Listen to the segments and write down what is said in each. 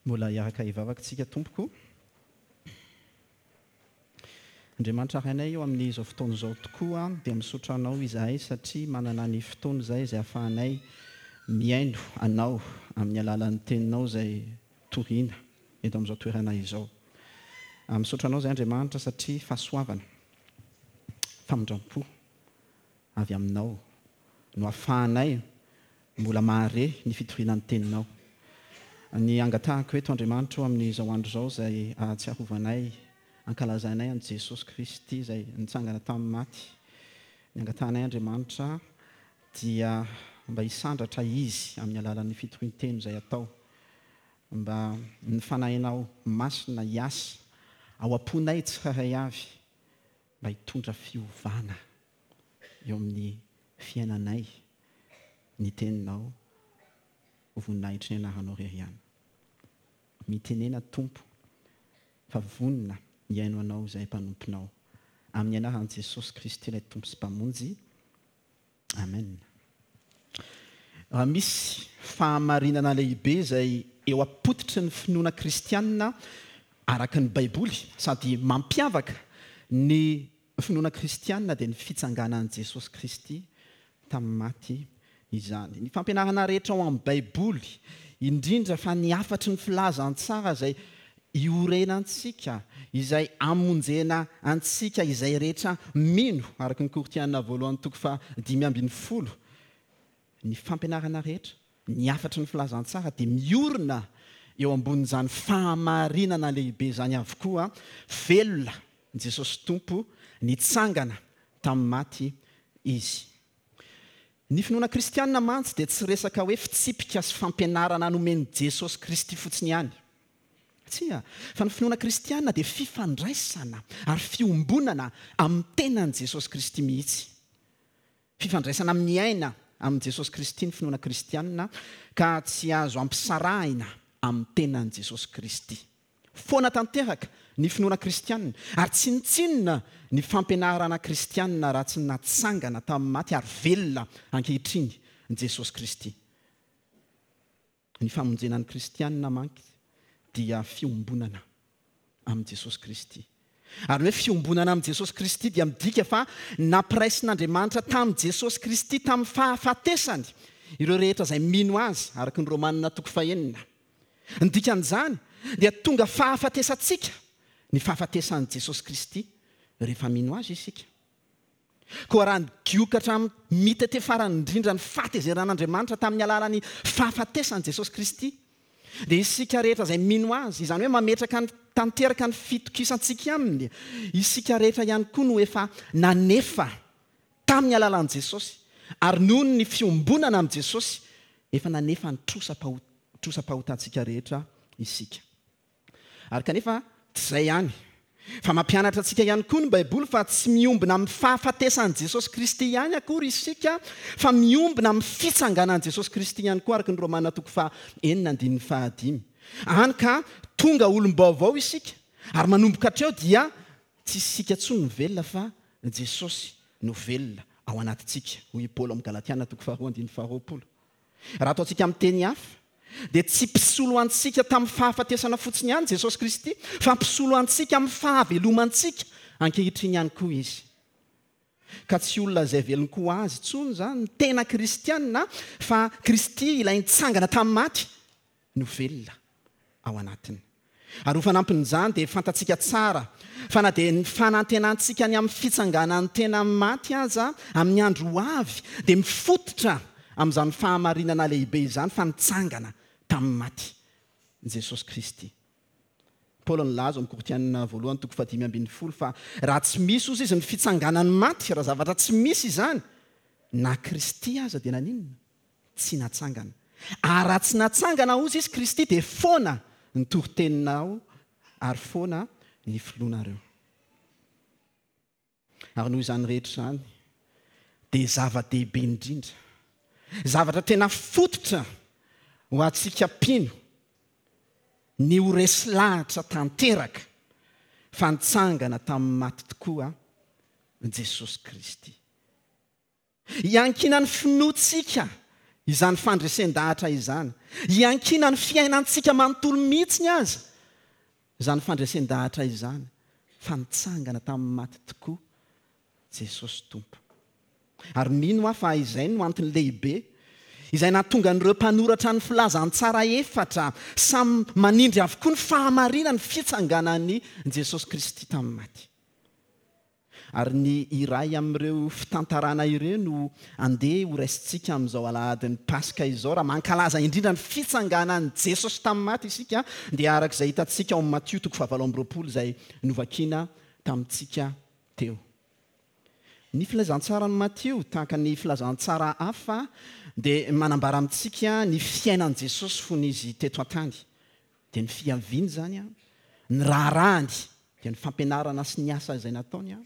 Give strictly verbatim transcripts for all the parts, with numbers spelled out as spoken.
Mbola hiaraka hivavaka isika tompoko. Andriamanitra Rainay eo amin'izao fotoana izao tokoa dia misaotra anao izahay satria manana ny fotoana izay izay ahafahanay mihaino anao amin'ny alalan'ny teninao izay toriana eto amin'izao toerana izao. Misaotra anao izay Andriamanitra satria fahasoavana, famindram-po avy aminao no ahafahanay mbola mahare ny fitoriana ny teninao. Ny angatahako eto Andriamanitra amin'izao andro izao izay ahatsiarovanay, ankalazainay an'i Jesosy Kristy izay nitsangana tamin'ny maty. Ny angatahanay Andriamanitra dia mba hisandratra izy amin'ny alalan'ny fitorian-teny izay atao. Mba ny fanahinao masina hiasa ao am-ponay tsirairay avy mba hitondra fiovana eo amin'ny fiainanay ny teninao ho voninahitry ny anaranao irery ihany. Mitenena Tompo fa vonona hihaino anao izay mpanomponao. Amin'ny anaran'i Jesosy Kristy ilay Tompo sy Mpamonjy. Amen. Raha misy fahamarinana lehibe izay eo am-pototry ny finoana kristianina araka ny Baiboly sady mampiavaka ny finoana kristianina dia ny fitsanganan'i Jesosy Kristy tamin'ny maty izany. Ny fampianarana rehetra ao amin'ny Baiboly, indrindra fa ny hafatry ny filazantsara izay iorenantsika, izay amonjena antsika, izay rehetra mino, araka ny Korintiana voalohany toko fahadimy ambin'ny folo. Ny fampianarana rehetra, ny hafatry ny filazantsara dia miorina eo ambonin'izany fahamarinana lehibe izany avokoa. Velona Jesosy Tompo, nitsangana tamin'ny maty izy. Ny finoana kristianina mantsy dia tsy resaka hoe fitsipika sy fampianarana nomen'i Jesosy Kristy fotsiny ihany. Tsia, fa ny finoana kristianina dia fifandraisana ary fiombonana amin'ny tenan'i Jesosy Kristy mihitsy. Fifandraisana amin'ny aina amin'i Jesosy Kristy ny finoana kristianina ka tsy azo ampisarahina amin'ny tenan'i Jesosy Kristy. Foana tanteraka ny finoana kristianina ary tsinontsinona ny fampianarana kristianina raha tsy natsangana tamin'ny maty ary velona ankehitriny Jesosy Kristy. Ny famonjena ny kristianina manky dia fiombonana amin'i Jesosy Kristy. Ary ny hoe fiombonana amin'i Jesosy Kristy dia midika fa nampiraisin'Andriamanitra tamin'i Jesosy Kristy tamin'ny fahafatesany ireo rehetra izay mino azy, araka ny Romanina toko fahenina. Ny dikan'izany dia tonga fahafatesantsika ny fahafatesan'i Jesosy Kristy rehefa mino azy isika. Koa raha nigioka hatramin'ny mitete farany indrindra ny fahatezeran'Andriamanitra tamin'ny alalan'ny fahafatesan'i Jesosy Kristy, dia isika rehetra izay mino azy, izany hoe mametraka ny tanteraka ny fitokisantsika aminy, isika rehetra ihany koa no efa nanefa tamin'ny alalan'i Jesosy, ary noho ny fiombonana amin'i Jesosy, efa nanefa ny trosa-pahotantsika rehetra isika. Ary kanefa tsy izay ihany, fa mampianatra antsika ihany koa ny Baiboly fa tsy miombona amin'ny fahafatesan'i Jesosy Kristy ihany akory isika, fa miombona amin'ny fitsanganan'i Jesosy Kristy ihany koa, araka ny Romana toko fahenina andininy fahadimy. Hany ka tonga olom-baovao isika, ary manomboka hatreo dia tsy isika intsony no velona fa Jesosy no velona ao anatintsika, hoy i Paoly ao amin'ny Galatiana toko faharoa andininy faharoapolo. Raha ataontsika amin'ny teny hafa, dia tsy mpisolo antsika tamin'ny fahafatesana fotsiny ihany Jesosy Kristy, fa mpisolo antsika amin'ny fahavelomantsika ankehitriny ihany koa izy. Ka tsy olona izay velon-ko azy intsony izany ny tena kristianina, fa Kristy ilay nitsangana tamin'ny maty no velona ao anatiny. Ary ho fanampin'izany dia fantatsika tsara fa na dia ny fanantenantsika ny amin'ny fitsanganan'ny tena maty aza amin'ny andro ho avy dia mifototra amin'izany fahamarinana lehibe izany fa nitsangana tamin'ny maty Jesosy Kristy. Paoly nilaza ao amin'ny Korintiana voalohany toko fahadimy ambin'ny folo fa raha tsy misy ozy izy ny fitsanganan'ny maty, raha zavatra tsy misy izany, na Kristy aza dia naninona? Tsy natsangana. Ary raha tsy natsangana ozy izy Kristy dia foana ny toriteninao ary foana ny finoanareo. Ary noho izany rehetra izany dia zava-dehibe indrindra, zavatra tena fototra ho antsika mpino ny ho resy lahatra tanteraka fa nitsangana tamin'ny maty tokoa Jesosy Kristy. Iankinan'ny finoantsika izany fandresen-dahatra izany. Iankinan'ny fiainantsika manontolo mihitsy aza izany fandresen-dahatra izany, fa nitsangana tamin'ny maty tokoa Jesosy Tompo. Ary mino aho fa izay no antony lehibe izay nahatonga an'ireo mpanoratra ny filazantsara efatra samy manindry avokoa ny fahamarinan'ny fitsanganan'i Jesosy Kristy tamin'ny maty. Ary ny iray amin'ireo fitantarana ireo no andeha ho raisintsika amin'izao alahadin'ny Paska izao. Raha mankalaza indrindra ny fitsanganan'i Jesosy tamin'ny maty isika, dia araka izay hitantsika ao amin'ny Matio toko fahavalo amby roapolo izay novakina tamintsika teo. Ny filazantsaran'i Matio, tahaka ny filazantsara hafa, dia manambara amintsika ny fiainan'i Jesosy fony izy teto an-tany. Dia ny fiaviany izany, ny raharahany, dia ny fampianarana sy ny asa izay nataony,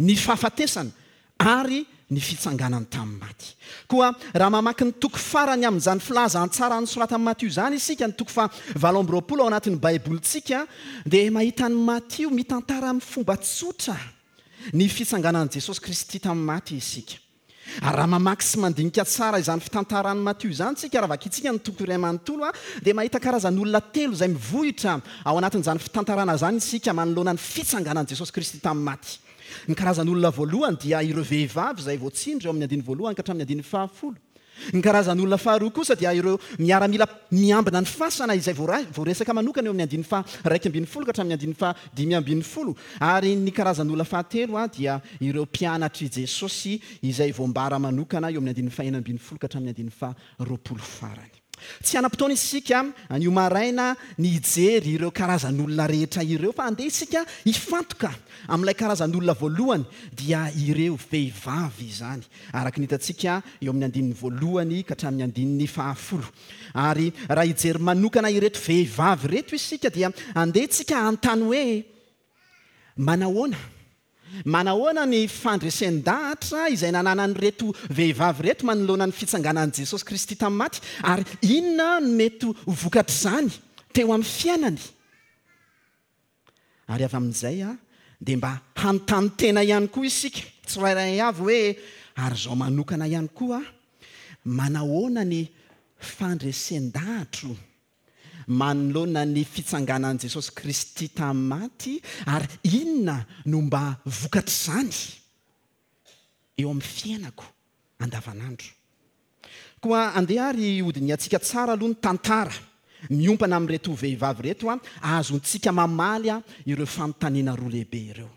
ny fahafatesana ary ny fitsanganany tamin'ny maty. Koa raha mamaky ny toko farany amin'izany filazantsara nosoratan'i Matio izany isika, ny toko fahavalo amby roapolo ao anatin'ny Baibolintsika, dia mahita an'i Matio mitantara amin'ny fomba tsotra ny fitsanganan'i Jesosy Kristy tamin'ny maty isika. Ary raha mamaky sy mandinika tsara izany fitantaran'i Matio izany isika, raha vakintsika ny toko iray manontolo, dia mahita karazan'olona telo izay mivohitra ao anatin'izany fitantarana izany isika manoloana ny fitsanganan'i Jesosy Kristy tamin'ny maty. Ny karazan'olona voalohany dia ireo vehivavy izay voatsindry eo amin'ny andininy voalohany ka hatramin'ny andininy fahafolo. Ny karazan'olona faharoa kosa dia ireo miaramila miambina ny fasana izay voaresaka manokana eo amin'ny andininy faha-iraika ambin'ny folo ka hatramin'ny andininy fahadimy ambin'ny folo. Ary ny karazan'olona fahatelo dia ireo mpianatr'i Jesosy izay voambara manokana eo amin'ny andininy fahenina ambin'ny folo ka hatramin'ny andininy faharoapolo farany. Tsy hanam-potoana isika anio maraina ny hijery ireo karazan'olona rehetra ireo, fa andeha isika hifantoka amin'ilay karazan'olona voalohany, dia ireo vehivavy izany, araka ny hitantsika eo amin'ny andininy voalohany ka hatramin'ny andininy fahafolo. Ary raha hijery manokana ireto vehivavy ireto isika, dia andeha isika hanontany hoe manahoana? Manahoana ny fandresen-dahatra izay nananan'ireto vehivavy ireto manoloana ny fitsanganan'i Jesosy Kristy tamin'ny maty, ary inona no mety ho vokatr'izany teo amin'ny fiainany? Ary avy amin'izay dia mba hanontany tena ihany koa isika tsirairay avy hoe, ary izao manokana ihany koa, manahoana ny fandresen-dahatro manoloana ny fitsanganan'i Jesosy Kristy tamin'ny maty, ary inona no mba vokatr'izany eo amin'ny fiainako andavanandro? Koa andeha ary hodinihantsika tsara aloha ny tantara miompana amin'ireto vehivavy ireto, ahazoantsika mamaly ireo fanontaniana roa lehibe ireo.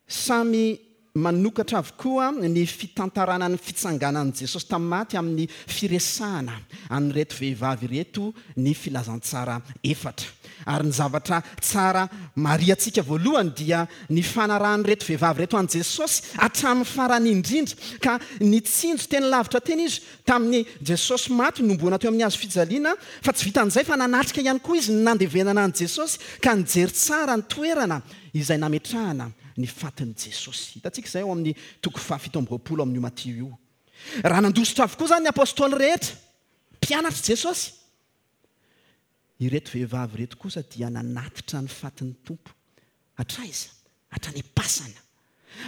Samy manokatra avokoa ny fitantarana ny fitsanganan'i Jesosy tamin'ny maty amin'ny firesahana an'ireto vehivavy ireto ny filazantsara efatra. Ary ny zavatra tsara marihantsika voalohany dia ny fanarahan'ireto vehivavy ireto an'i Jesosy hatramin'ny farany indrindra, ka nitsinjo teny lavitra teny izy tamin'ny Jesosy maty nomboana teo amin'ny hazo fijaliana, fa tsy vitan'izay fa nanatrika ihany koa izy ny nandevenana an'i Jesosy, ka nijery tsara ny toerana izay nametrahana ny fatin'i Jesosy. Hitantsika izay ao amin'ny toko fahafito amby roapolo amin'io Matio io. Raha nandositra avokoa izany ny apôstôly rehetra, mpianatr'i Jesosy, ireto vehivavy ireto kosa dia nanatitra ny fatin'ny Tompo. Hatraiza? Hatrany am-pasana.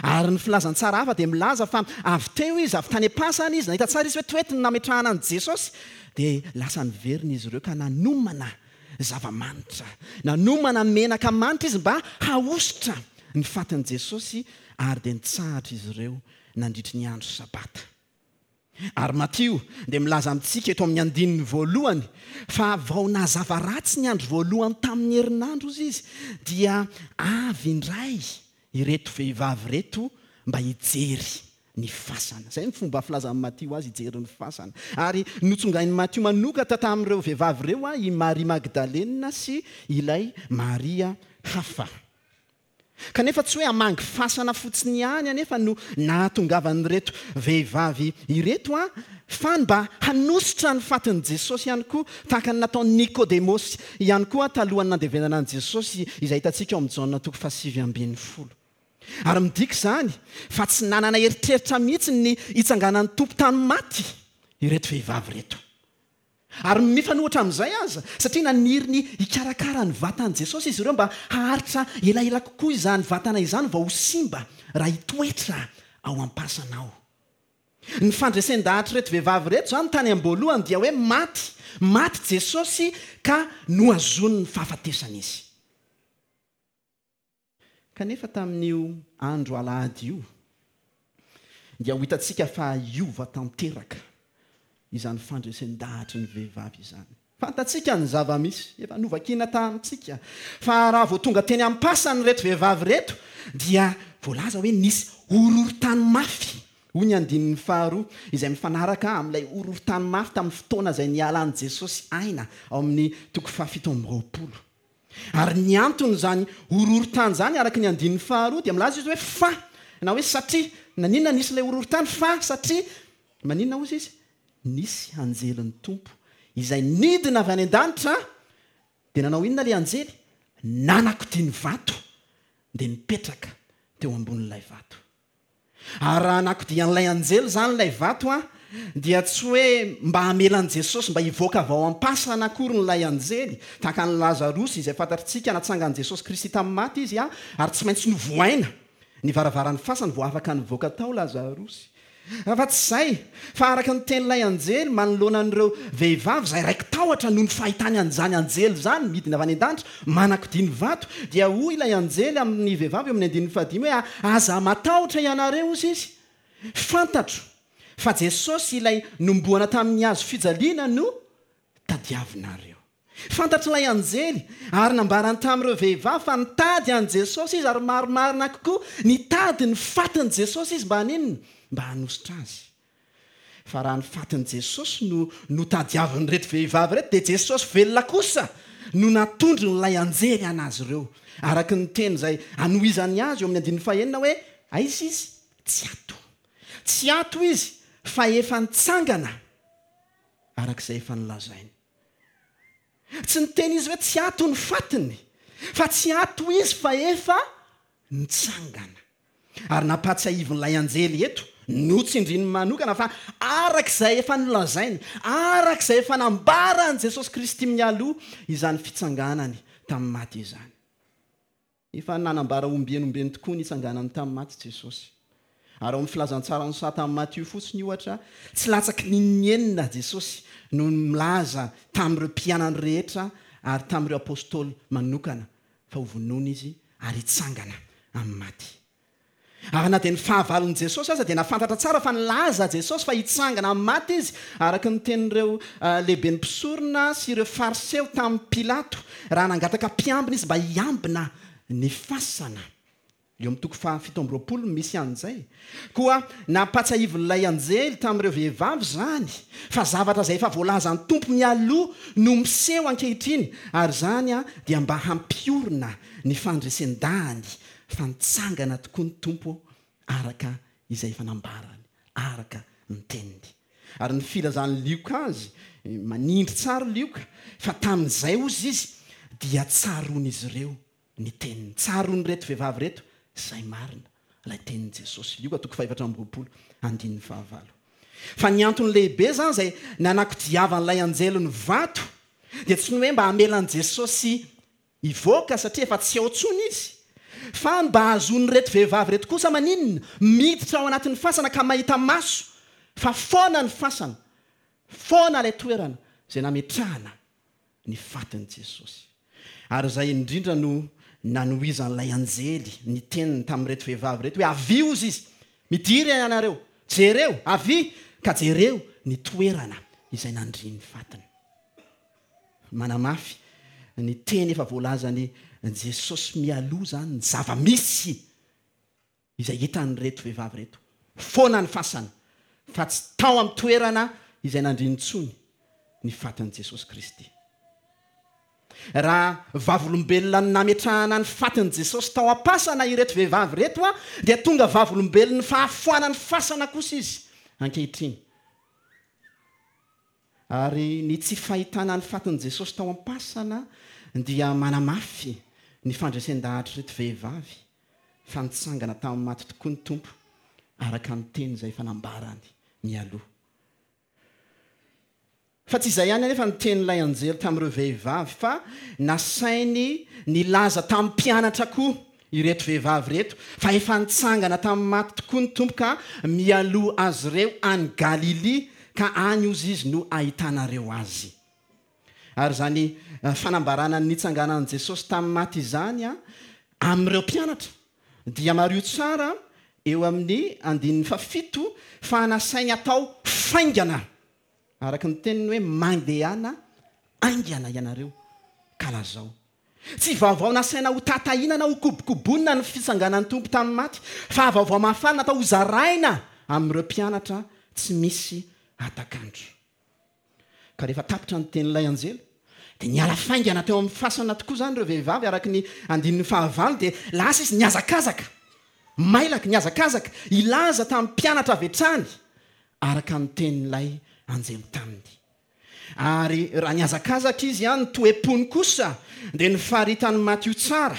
Ary ny filazantsara hafa dia milaza fa avy teo izy, avy tany am-pasana izy, nahita tsara izy hoe toetiny nametrahana an'i Jesosy, dia lasa niverina izy ireo ka nanomana zava-manitra. Nanomana menaka manitra izy mba hahosotra ny fatin'i Jesosy, ary dia nitsahatra izy ireo nandritry ny andro sabata. Ary Matio dia milaza amintsika eto amin'ny andininy voalohany fa vao nazava ratsy ny andro voalohany tamin'ny herinandro izy izy, dia avy indray ireto vehivavy ireto mba hijery ny fasana. Izay ny fomba filazan'i Matio azy, hijery ny fasana. Ary notsongain'i Matio manokatra tamin'ireo vehivavy ireo i Maria Magdalena sy ilay Maria hafa. Kanefa tsy hoe hamangy fasana fotsiny ihany anefa no nahatongavan'ireto vehivavy ireto, fa mba hanosotra ny fatin'i Jesosy ihany koa, tahaka ny nataon'i Nikodemosy ihany koa talohan'ny nandevenana an'i Jesosy, izay hitantsika ao amin'ny Jaona toko fahasivy ambin'ny folo. Ary midika izany fa tsy nanana eritreritra mihitsy ny hitsanganan'ny Tompo tamin'ny maty ireto vehivavy ireto. Ary mifanohitra amin'izay aza, satria naniry ny hikarakara ny vatan'i Jesosy izy ireo mba haharitra elaela kokoa izany vatana izany vao ho simba raha hitoetra ao am-pasana ao. Ny fandresen-dahatr'ireto vehivavy ireto izany tany am-boalohany dia hoe maty, maty Jesosy ka nohazonin'ny fahafatesana izy. Kanefa tamin'io andro alahady io dia ho hitantsika fa hiova tanteraka izany fandresen-dahatry ny vehivavy izany. Fantatsika ny zava-misy, efa novakiana tamintsika, fa raha vao tonga teny am-pasana ireto vehivavy ireto dia voalaza hoe nisy horohorontany mafy, hoy ny andininy faharoa, izay mifanaraka amin'ilay horohorontany mafy tamin'ny fotoana izay nialan'i Jesosy aina ao amin'ny toko fahafito amby roapolo. Ary ny anton'izany horohorontany izany araka ny andininy faharoa dia milaza izy hoe fa, na hoe satria, naninona nisy ilay horohorontany? Fa satria, maninona hozy izy? Nisy anjelin'ny Tompo izay nidina avy any an-danitra, dia nanao inona ilay anjely? Nanakodia ny vato, dia nipetraka teo ambonin'ilay vato. Ary raha nakodian'ilay anjely izany ilay vato, a, dia tsy hoe mba hamela an'i Jesosy mba hivoaka avy ao am-pasana akory ilay anjely, tahaka an'i Lazarosy izay fantatritsika natsangan'i Jesosy Kristy tamin'ny maty izy, a, ary tsy maintsy novohaina ny varavaran'ny fasana vao afaka nivoaka tao Lazarosy. Fa tsy izay, fa araka ny tenin'ilay anjely manoloana an'ireo vehivavy izay raiki-tahotra noho ny fahitany an'izany anjely izany midina avy any an-danitra manakodia ny vato, dia hoy ilay anjely amin'ny vehivavy eo amin'ny andininy fahadimy hoe aza matahotra ianareo, hozy izy, fantatro fa Jesosy ilay nomboana tamin'ny hazo fijaliana no tadiavinareo. Fantatr'ilay anjely ary nambarany tamin'ireo vehivavy fa nitady an'i Jesosy izy, ary marimarina kokoa nitady ny fatin'i Jesosy izy mba haninona? Mba hanositra azy. Fa raha ny fatin'i Jesosy no notadiavin'ireto vehivavy ireto, dia Jesosy velona kosa no natondron'ilay anjely anazy ireo, araka ny teny izay anohizany azy eo amin'ny andininy fahenina hoe aiza izy? Tsy ato. Tsy ato izy fa efa nitsangana araka izay efa nolazainy. Tsy niteny izy hoe tsy ato ny fatiny, fa tsy ato izy fa efa nitsangana. Ary nampahatsiahivin'ilay anjely eto, notsindriny manokana fa araka izay efa nolazainy, araka izay efa nambaran'i Jesosy Kristy mialoha izany fitsanganany tamin'ny maty izany. Efa nanambara ombieny ombieny tokoa ny hitsanganany tamin'ny maty Jesosy. Ary ao amin'ny filazantsaran'i Satan Matio fotsiny ohatra, tsy latsaky ny enina Jesosy no milaza tamin'ireo mpianany rehetra ary tamin'ireo apôstôly manokana fa ho vonoina izy ary hitsangana amin'ny maty. Ary na dia ny fahavalon'i Jesosy aza dia nahafantatra tsara fa nilaza Jesosy fa hitsangana amin'ny maty izy, araka ny tenin'ireo lehiben'ny mpisorona sy ireo fariseo tamin'i Pilato raha nangataka mpiambina izy mba hiambina ny fasana. Eo amin'ny toko fahafito amby roapolo misy an'izay. Koa nampahatsiahivin'ilay anjely tamin'ireo vehivavy izany fa zavatra izay efa voalazan'ny Tompo mialoha no miseho ankehitriny, ary izany dia mba hampiorina ny fandresen-dahany fa nitsangana tokoa ny Tompo araka izay efa nambarany, araka ny teniny. Ary ny filazan'i Lioka azy, manindry tsara Lioka, fa tamin'izay hozy izy dia tsaroan'izy ireo ny teniny. Tsaroan'ireto vehivavy ireto izay marina ilay tenin'i Jesosy. Lioka toko fahefatra amby roapolo andininy fahavalo. Fa ny antony lehibe izany izay nanakodiavan'ilay anjely ny vato dia tsy ny hoe mba hamela an'i Jesosy hivoaka satria efa tsy ao intsony izy, fa mba hahazoan'ireto vehivavy ireto kosa maninona? Miditra ao anatin'ny fasana ka mahita maso fa foana ny fasana, foana ilay toerana izay nametrahana ny fatin'i Jesosy. Ary izay indrindra no nanohizan'ilay anjely ny teniny tamin'ireto vehivavy ireto hoe avia hozy izy, midira ianareo, jereo, avia ka jereo ny toerana izay nandrian'ny fatiny. Manamafy ny teny efa voalazan'i Jesosy mialoha izany ny zava-misy izay hitan'ireto vehivavy ireto. Foana ny fasana fa tsy tao amin'ny toerana izay nandriany intsony ny fatin'i Jesosy Kristy. Raha vavolombelona nametrahana ny fatin'i Jesosy tao am-pasana ireto vehivavy ireto, a, dia tonga vavolombelon'ny fahafoanan'ny fasana kosa izy ankehitriny. Ary ny tsy fahitana ny fatin'i Jesosy tao am-pasana dia manamafy ny fandresen-dahatr'ireto vehivavy fa nitsangana tamin'ny maty tokoa ny Tompo araka ny teny izay efa nambarany mialoha. Fa tsy izay ihany anefa ny tenin'ilay anjely tamin'ireo vehivavy, fa nasainy nilaza tamin'ny mpianatra koa ireto vehivavy ireto fa efa nitsangana tamin'ny maty tokoa ny Tompo ka mialoha azy ireo any Galilia, ka any ozy izy no ahitanareo azy. Ary izany fanambarana ny nitsanganan'i Jesosy tamin'ny maty izany a amin'ireo mpianatra dia mariho tsara eo amin'ny andininy fahafito fa nasainy atao faingana, araka ny teniny hoe mandehana aingana ianareo ka lazao. Tsy vaovao nasaina ho tatahina na ho kobokobonina ny fitsanganan'ny Tompo tamin'ny maty, fa vaovao mahafaly natao ho zaraina amin'ireo mpianatra tsy misy atakandro. Ka rehefa tapitra ny tenin'ilay anjely dia niala faingana teo amin'ny fasana tokoa izany ireo vehivavy, araka ny andininy fahavalo dia lasa izy nihazakazaka, mailaka nihazakazaka hilaza tamin'ny mpianatra avy hatrany araka ny tenin'ilay anjely taminy. Ary raha nihazakazaka izy ny toe-pony kosa dia nifaritan'i Matio tsara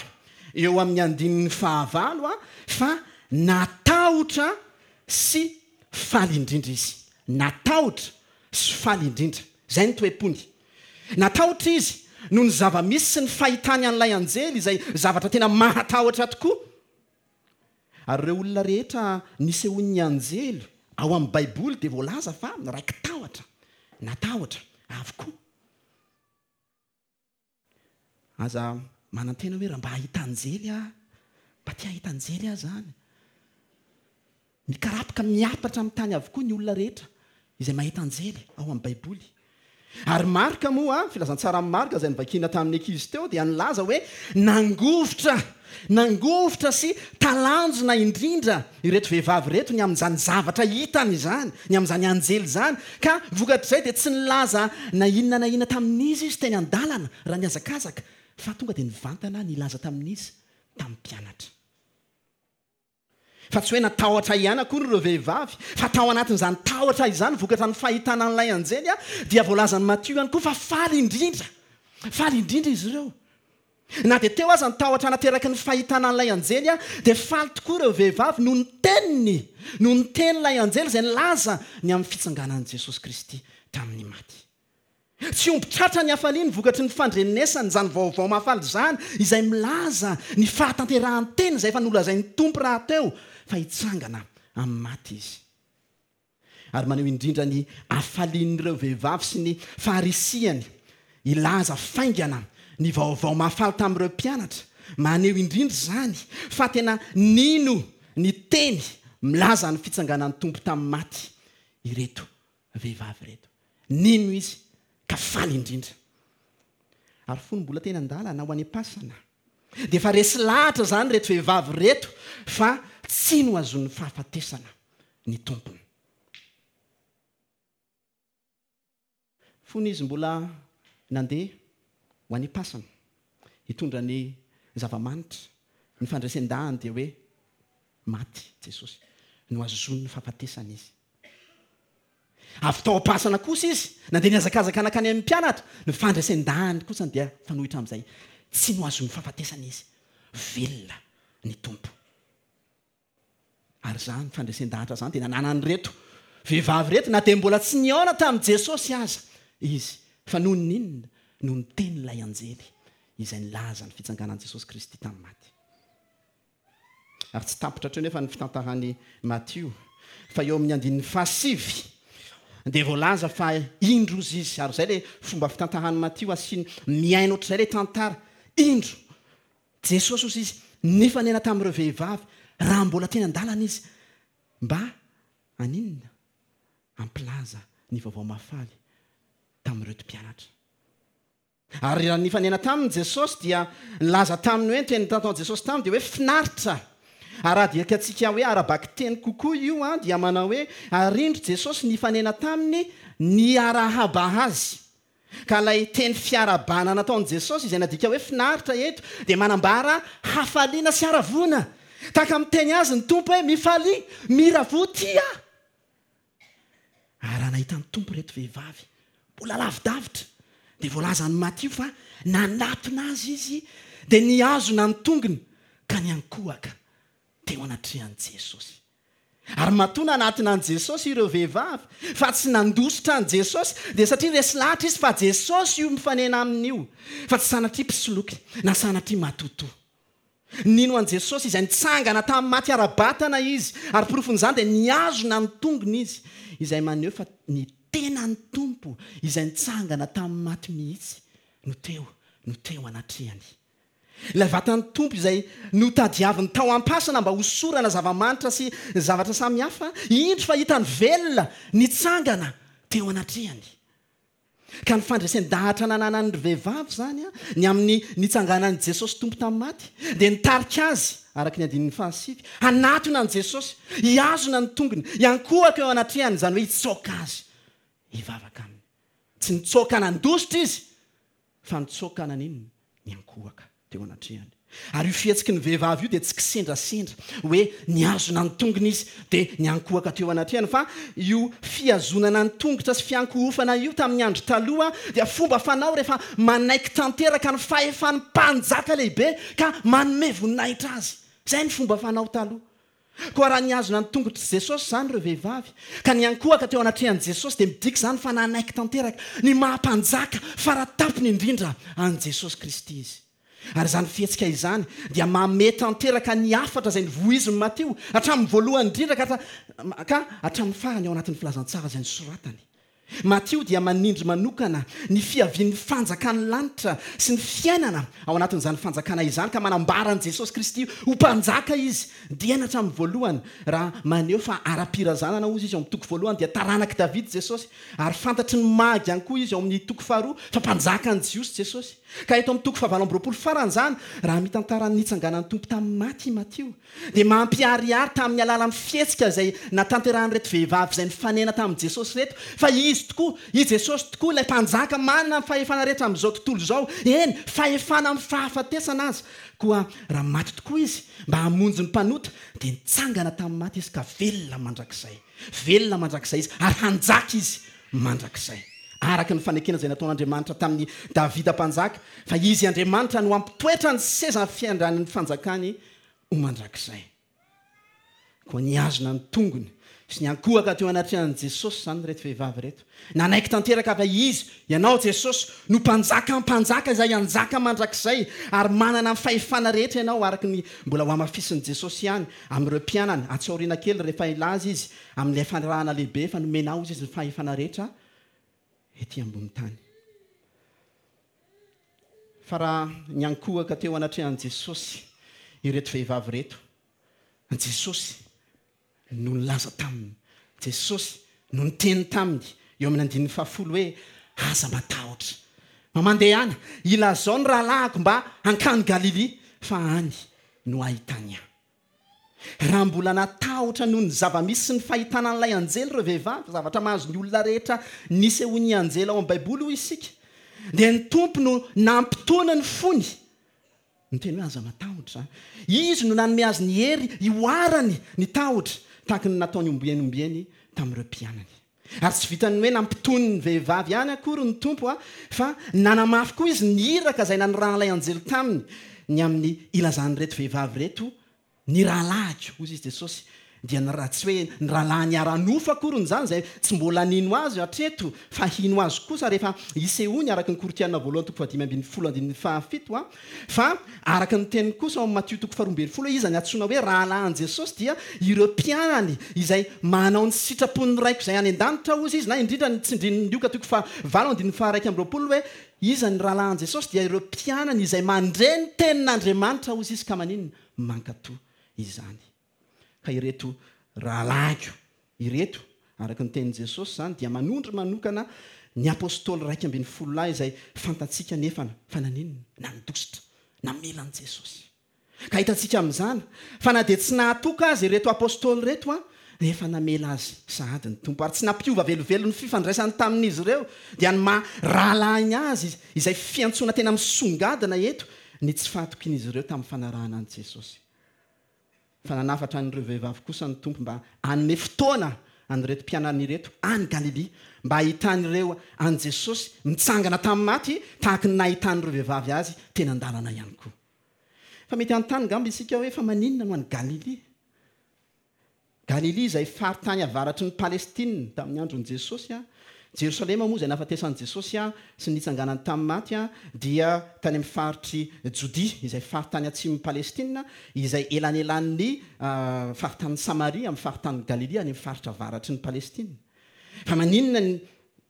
eo amin'ny andininy fahavalo a fa natahotra sy faly indrindra izy. Natahotra sy faly indrindra, izay ny toe-pony. Natahotra izy noho ny zava-misy sy ny fahitany an'ilay anjely, izay zavatra tena mahatahotra tokoa. Ary ireo olona rehetra nisehoan'ny anjely ao amin'ny Baiboly dia voalaza fa raiki-tahotra, natahotra avokoa. Aza manantena hoe raha mba hahita anjely aho, mba te hahita anjely aho zany. Mikarapoka miapatra amin'ny tany avokoa ny olona rehetra izay mahita anjely ao amin'ny Baiboly. Ary Marka moa, filazantsara amin'ny Marka izay novakiana tamin'ny ankizy teo, dia nilaza hoe nangovitra, nangovitra sy talanjona indrindra ireto vehivavy ireto ny amin'izany zavatra hitany izany, ny amin'izany anjely izany, ka vokatr'izay dia tsy nilaza na inona na inona tamin'izy izy teny an-dalana raha nihazakazaka, fa tonga dia nivantana nilaza tamin'izy tamin'ny mpianatra. Fa tsy hoe natahotra ihany akory ireo vehivavy, fa tao anatin'izany tahotra izany vokatra ny fahitana an'ilay anjely a dia voalazan'i Matio ihany koa fa faly indrindra, faly indrindra izy ireo. Na dia teo aza ny tahotra nateraky ny fahitana an'ilay anjely a dia faly tokoa ireo vehivavy noho ny teniny, noho ny tenin'ilay anjely izay nilaza ny amin'ny fitsanganan'i Jesosy Kristy tamin'ny maty. Tsy omby tratra ny hafaliany vokatry ny fandrenesany izany vaovao mahafaly izany, izay milaza ny fahatanterahan'ny teny izay efa nolazain'ny Tompo rahateo fa hitsangana amin'ny maty izy. Ary maneho indrindra ny hafalian'ireo vehivavy sy ny faharisihany hilaza faingana ny vaovao mahafaly tamin'ireo mpianatra. Maneho indrindra izany fa tena nino ny teny milaza ny fitsanganan'ny Tompo tamin'ny maty ireto vehivavy ireto. Nino izy ka faly indrindra. Ary fony mbola teny an-dalana ho any am-pasana dia efa resy lahatra izany ireto vehivavy ireto fa tsy nohazonin'ny fahafatesana ny Tompony. Fony izy mbola nandeha ho any am-pasana hitondra ny zava-manitra, ny fandresen-dahany dia hoe maty Jesosy, nohazonin'ny fahafatesana izy. Avy tao am-pasana kosa izy nandeha nihazakazaka nankany amin'ny mpianatra, ny fandresen-dahany kosa dia fanohitra amin'izay, tsy nohazonin'ny fahafatesana izy, velona ny Tompo. Ary izany fandresen-dahatra izany dia nananan'ireto vehivavy ireto na dia mbola tsy nihaona tamin'i Jesosy aza izy, fa noho ny inona? Noho ny tenin'ilay anjely izay nilaza ny fitsanganan'i Jesosy Kristy tamin'ny maty. Ary tsy tapitra hatreo nefa ny fitantaran'i Matio, fa eo amin'ny andininy fahasivy dia voalaza fa indro izy, ary izay ilay fomba fitantaran'i Matio asiany mihaino ohatr'izay ilay tantara. Indro Jesosy ozy izy nifanena tamin'ireo vehivavy raha mbola teny an-dalana izy mba haninona? Hampilaza ny vaovao mahafaly tamin'ireo mpianatra. Ary raha nifanena taminy Jesosy dia nilaza taminy hoe, ny teny nataon'i Jesosy taminy dia hoe finaritra. Ary raha adika-tsika hoe ara-bakiteny kokoa io a dia manao hoe ary indro Jesosy nifanena taminy niarahaba azy. Ka ilay teny fiarahabana nataon'i Jesosy izay nadika hoe finaritra eto dia manambara hafaliana sy haravoana. Tahaka miteny azy ny Tompo hoe mifalia, miravoa tia. Ary raha nahita ny Tompo ireto vehivavy mbola lavidavitra dia voalazan'i Matio fa nanatona azy izy dia nihazona ny tongony ka niankohoka teo anatrehan'i Jesosy. Ary matoa nanatona an'i Jesosy ireo vehivavy fa tsy nandositra an'i Jesosy dia satria resy lahatra izy fa Jesosy io mifanena aminy io, fa tsy sanatria mpisoloky na sanatria matotoa. Nino an'i Jesosy izay nitsangana tamin'ny maty ara-batana izy, ary porofon'izany dia nihazona ny tongony izy, izay maneho fa ny tenan'ny Tompo izay nitsangana tamin'ny maty mihitsy no teo, no teo anatrehany. Ilay vatan'ny Tompo izay notadiaviny tao am-pasana mba hosorana zava-manitra sy zavatra samihafa, indro fa hitany velona nitsangana teo anatrehany. Ka ny fandresen-dahatra nananan'ny vehivavy izany, ny amin'ny nitsanganan'i Jesosy Tompo tamin'ny maty, dia nitarika azy, araka ny andininy fahasivy, hanatona an'i Jesosy, hihazona ny tongony, hiankohoka eo anatrehany, izany hoe hitsoka azy, hivavaka aminy. Tsy nitsoka nandositra izy, fa nitsoka naninona? Niankohoka teo anatrehany. Ary io fihetsiky ny vehivavy io dia tsy kisendrasendra hoe nihazona ny tongony izy dia niankohoka teo anatrehany, fa io fihazonana ny tongotra sy fiankohofana io tamin'ny andro taloha dia fomba fanao rehefa manaiky tanteraka ny fahefan'ny mpanjaka lehibe ka manome voninahitra azy. Izay ny fomba fanao taloha. Koa raha nihazona ny tongotr'i Jesosy izany ireo vehivavy ka niankohoka teo anatrehan'i Jesosy, dia midika izany fa nanaiky tanteraka ny maha-mpanjaka faratapony indrindra an'i Jesosy Kristy izy. Ary izany fihetsika izany dia mamehy tanteraka ny hafatra izay nivoizin'i Matio hatramin'ny voalohany indrindra ka hatra-, ka hatramin'ny farany ao anatin'ny filazantsara izay nosoratany. Matio dia manindry manokana ny fiavian'ny fanjakan'ny lanitra sy ny fiainana ao anatin'izany fanjakana izany, ka manambara an'i Jesosy Kristy ho mpanjaka izy dieny hatramin'ny voalohany. Raha maneho fa ara-pirazanana hozy izy ao amin'ny toko voalohany dia taranak'i David Jesosy, ary fantatry ny magy ihany koa izy ao amin'ny toko faharoa fa mpanjakan'ny Jiosy Jesosy. Ka eto amin'ny toko fahavalo amby roapolo farany izany, raha mitantara ny nitsanganan'ny Tompo tamin'ny maty i Matio, dia mampiharihary tamin'ny alalan'ny fihetsika izay natanterahan'ireto vehivavy izay nifanena tamin'i Jesosy ireto, fa izy tokoa, i Jesosy tokoa ilay mpanjaka manana ny fahefana rehetra amin'izao tontolo izao, eny, fahefana amin'ny fahafatesana aza. Koa raha maty tokoa izy mba hamonjy ny mpanota, dia nitsangana tamin'ny maty izy ka velona mandrakizay. Velona mandrakizay izy ary hanjaka izy mandrakizay. Araka ny fanekena izay nataon'Andriamanitra tamin'i Davida mpanjaka, fa izy Andriamanitra no hampitoetra ny seza fiandran'ny fanjakany ho mandrakizay. Koa nihazona ny tongony sy niankohoka teo anatrehan'i Jesosy izany ireto vehivavy ireto. Nanaiky tanteraka fa izy, ianao Jesosy, no mpanjaka mpanjaka izay hanjaka mandrakizay, ary manana ny fahefana rehetra ianao, araka ny mbola ho hamafisin'i Jesosy ihany amin'ireo mpianany atsy aoriana kely rehefa hilaza izy amin'ilay fanirahana lehibe efa nomenao izy ny fahefana rehetra ety ambony tany. Fa raha niankohoka teo anatrehan'i Jesosy ireto vehivavy ireto, Jesosy no nilaza taminy, Jesosy no niteny taminy eo amin'ny andininy fahafolo hoe: aza matahotra, fa mandehana, ilazao ny rahalahiko mba hankany Galilia, fa any no ahitany ahy. Raha mbola natahotra noho ny zava-misy sy ny fahitana an'ilay anjely ireo vehivavy, zavatra mahazo ny olona rehetra nisehoan'ny anjely ao amin'ny Baiboly hoy isika, dia ny Tompo no nampitony ny fony. Niteny hoe aza matahotra. Izy no nanome azy ny hery hihoarany ny tahotra, tahaka ny nataony ombieny ombieny tamin'ireo mpianany. Ary tsy vitan'ny hoe nampitony ny vehivavy ihany akory ny Tompo, a, fa nanamafy koa izy ny iraka izay nanirahan'ilay anjely taminy, ny amin'ny ilazan'ireto vehivavy ireto ny rahalahiko, hoy izy Jesosy, dia ny raha tsy hoe ny rahalahiny ara-nofo akory izany, izay tsy mbola nino azy hatreto, fa hino azy kosa rehefa hisehoany, araka ny Korintiana voalohany toko fahadimy ambin'ny folo andininy fahafito, a, fa araka ny teniny kosa ao amin'ny Matio toko faharoa ambin'ny folo, iza ny antsoina hoe rahalahin'i Jesosy, dia ireo mpianany izay manao ny sitrapon'ny Raiko izay any an-danitra, hoy izy, na indrindra ny tsindrin'ny Lioka toko fahavalo andininy faharaika amby roapolo hoe iza ny rahalahin'i Jesosy, dia ireo mpianany izay mandre ny tenin'Andriamanitra, hoy izy, ka maninona? Mankatò izany. Ka ireto rahalahiko ireto, araka ny tenin'i Jesosy izany, dia manondro manokana ny apôstôly iraika ambin'ny folo lahy izay fantatsika nefa fa naninona? Nandositra, namela an'i Jesosy. Ka hitantsika amin'izany fa na dia tsy nahatoka azy ireto apôstôly ireto, a, dia efa namela azy sahady ny Tompo, ary tsy nampiova velively ny fifandraisany tamin'izy ireo, dia ny maha rahalahiny azy izay fiantsoana tena misongadina eto ny tsy fahatokian'izy ireo tamin'ny fanarahana an'i Jesosy. Fa nanafatra an'ireo vehivavy kosa ny Tompo mba hanome fotoana an'ireto mpianany ireto any Galilia, mba hahitan'ireo an'i Jesosy mitsangana tamin'ny maty tahaka ny nahitan'ireo vehivavy azy teny an-dalana ihany koa. Fa mety hanontany angamba isika hoe fa maninona no any Galilia? Galilia izay faritany avaratry ny Palestina tamin'ny andron'i Jesosy, a, Jerosalema moa izay nahafatesan'i Jesosy a sy nitsanganany tamin'ny maty a dia tany amin'ny faritry Jodia, izay faritany atsimon'i Palestina, izay elanelan'ny faritany Samaria amin'ny faritany Galilia, any amin'ny faritra avaratry ny Palestina. Fa maninona ny